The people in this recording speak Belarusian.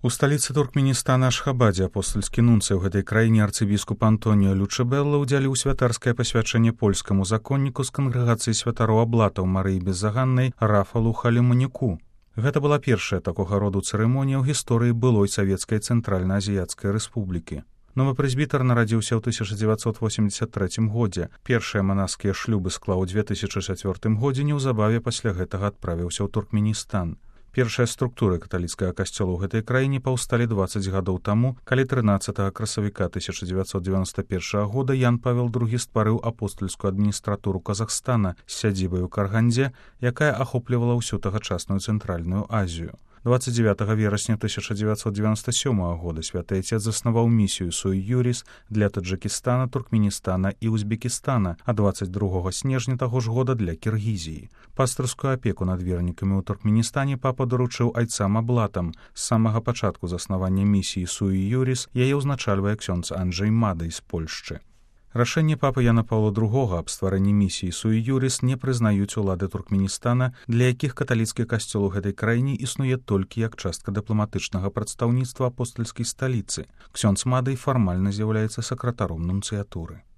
У сталіцы Туркменістана Ашхабадзе апостальскі нунцый у гэтай краіне арцыбіскуп Антоніо Лючебелла ўдзяліў святарскае пасвячэнне польскаму законніку з кангрэгацыі святароў аблатаў Марыі Беззаганнай Рафалу Халіманіку. Гэта была першая такога роду цырымонія ў гісторыі былой савецкай цэнтральна-азіяцкай рэспублікі. Новы прэзбітар нарадзіўся ў 1983 годзе. Першыя манаскія шлюбы склаў у 2004 годзе, неўзабаве пасля гэтага адправіўся ў Туркменістан. Першыя структуры каталіцкага касцёла ў гэтай краіне паўсталі 20 гадоў таму, калі 13 красавіка 1991 года Ян Павел II стварыў апостальскую адміністратуру Казахстана з сядзібай у Каргандзе, якая ахоплівала ўсю тагачасную цэнтральную Азію. 29 верасня 1997 года святы Отец заснаваў місію Суй Юрис для Таджикистана, Туркменістана і Узбекістана, а 22 снежня таго ж года для Кіргізіі. Пастырскую апеку над вернікамі ў Туркменістане папа даручыў айцам аблатам. З самага пачатку заснавання місіі Суй Юрис яе ўзначальвае ксёндз Анджэй Мадай з Польшчы. Рашэнне папы Яна Паўла II аб стварэнні місіі Суй Юрис не прызнаюць улады Туркменістана, для якіх каталіцкі касцёл у гэтай краіне існуе толькі як частка дыпламатычнага прадстаўніцтва апостальскай сталіцы. Ксёндз Мадай фармальна з'яўляецца сакратаром нунцыятуры.